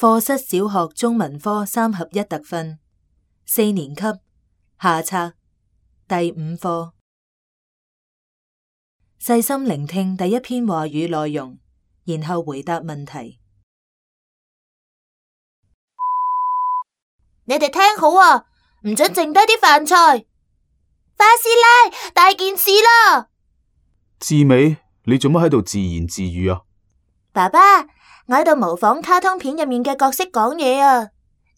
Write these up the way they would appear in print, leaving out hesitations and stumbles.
課室小學中文科3合1特訓，4年級下冊第5課。細心聆聽第一篇話語內容，然後回答問題。你哋聽好啊，唔准剩低啲飯菜。花師奶，大件事啦！志美，你做乜喺度自言自語啊？爸爸，我喺度模仿卡通片入面嘅角色講嘢啊！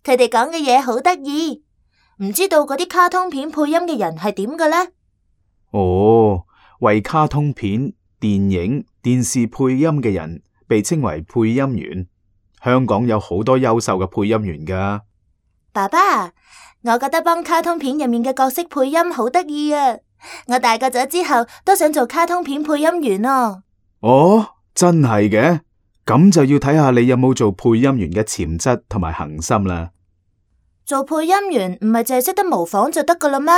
佢哋講嘅嘢好得意，唔知道嗰啲卡通片配音嘅人係點嘅呢？哦，為卡通片、電影、電視配音嘅人被稱為配音員。香港有好多優秀嘅配音員㗎。爸爸，我覺得幫卡通片入面嘅角色配音好得意啊！我大個咗之後都想做卡通片配音員啊！哦，真係嘅？咁就要睇下你有冇做配音員嘅潛質同埋恒心啦。做配音員唔係淨係識得模仿就得噶啦咩？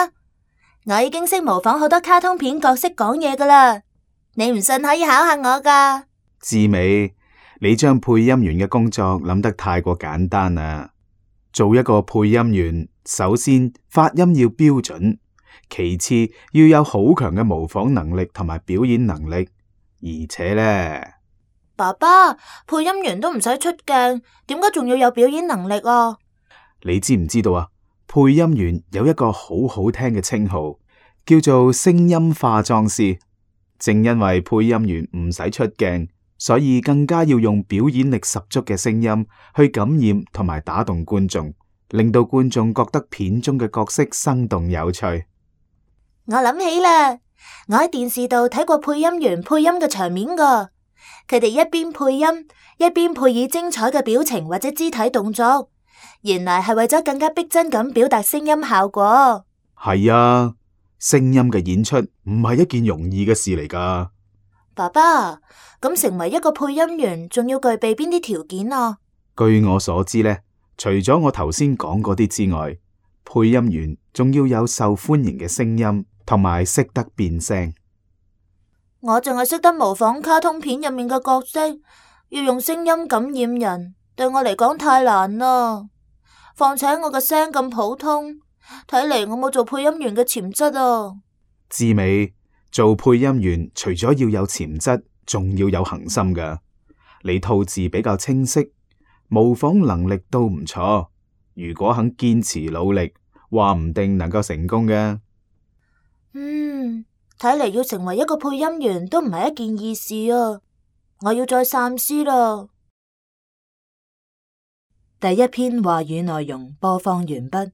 我已經識模仿好多卡通片角色講嘢噶啦，你唔信可以考下我噶。志美，你將配音員嘅工作諗得太過簡單啦。做一個配音員，首先發音要標準，其次要有好強嘅模仿能力同埋表演能力，而且呢，爸爸，配音員都唔使出鏡，點解仲要有表演能力啊？你知唔知道啊？配音員有一個好好聽嘅稱號，叫做聲音化妝師。正因為配音員唔使出鏡，所以更加要用表演力十足嘅聲音去感染同埋打動觀眾，令到觀眾覺得片中嘅角色生動有趣。我諗起啦，我喺電視度睇過配音員配音嘅場面噶，佢哋一邊配音，一邊配以精彩嘅表情或者肢體動作，原來係為咗更加逼真咁表達聲音效果。係啊，聲音嘅演出唔係一件容易嘅事嚟噶。爸爸，咁成為一個配音員，仲要具備邊啲條件啊？據我所知呢，除咗我頭先講嗰啲之外，配音員仲要有受歡迎嘅聲音，同埋識得變聲。我淨係識得模仿卡通片入面嘅角色，要用聲音感染人，對我嚟講太難啦。況且我嘅聲咁普通，睇嚟我冇做配音員嘅潛質啊。志美，做配音員除咗要有潛質，仲要有恒心噶。你吐字比較清晰，模仿能力都唔錯。如果肯堅持努力，話唔定能夠成功嘅。睇嚟要成為一個配音員都唔係一件易事啊！我要再三思啦。第一篇話語內容播放完畢。